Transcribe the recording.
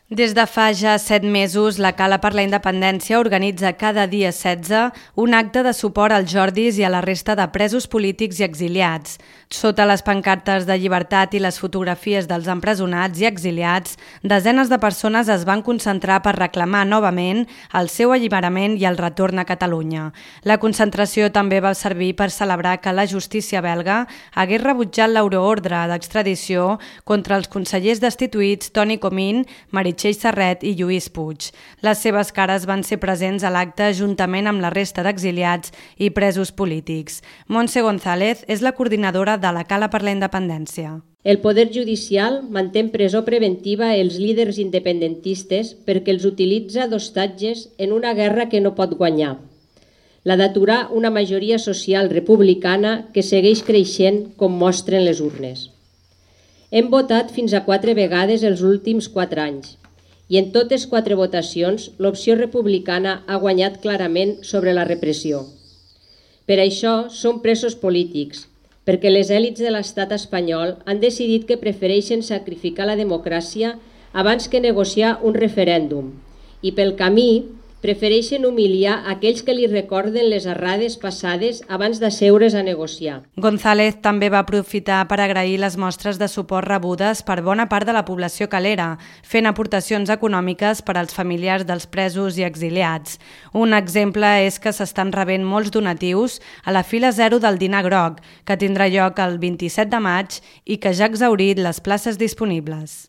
Des de fa ja 7 mesos, la Cala per la Independència organitza cada dia 16 un acte de suport als Jordis i a la resta de presos polítics i exiliats. Sota les pancartes de llibertat i les fotografies dels empresonats i exiliats, desenes de persones es van concentrar per reclamar novament el seu alliberament i el retorn a Catalunya. La concentració també va servir per celebrar que la justícia belga hagués rebutjat l'euroordre d'extradició contra els consellers destituïts Toni Comín, Meritxell Serret i Lluís Puig. Les seves cares van ser presents a l'acte juntament amb la resta d'exiliats i presos polítics. Montse González és la coordinadora de la Cala per la Independència. El Poder Judicial manté en presó preventiva els líders independentistes perquè els utilitza d'hostatges en una guerra que no pot guanyar. La d'aturar una majoria social republicana que segueix creixent com mostren les urnes. Hem votat fins a 4 vegades els últims 4 anys i en totes 4 votacions l'opció republicana ha guanyat clarament sobre la repressió. Per això som presos polítics, perquè les èlits de l'estat espanyol han decidit que prefereixen sacrificar la democràcia abans que negociar un referèndum i pel camí prefereixen humiliar aquells que li recorden les errades passades abans d'asseure's a negociar. González també va aprofitar per agrair les mostres de suport rebudes per bona part de la població calera, fent aportacions econòmiques per als familiars dels presos i exiliats. Un exemple és que s'estan rebent molts donatius a la fila 0 del dinar groc, que tindrà lloc el 27 de maig i que ja ha exhaurit les places disponibles.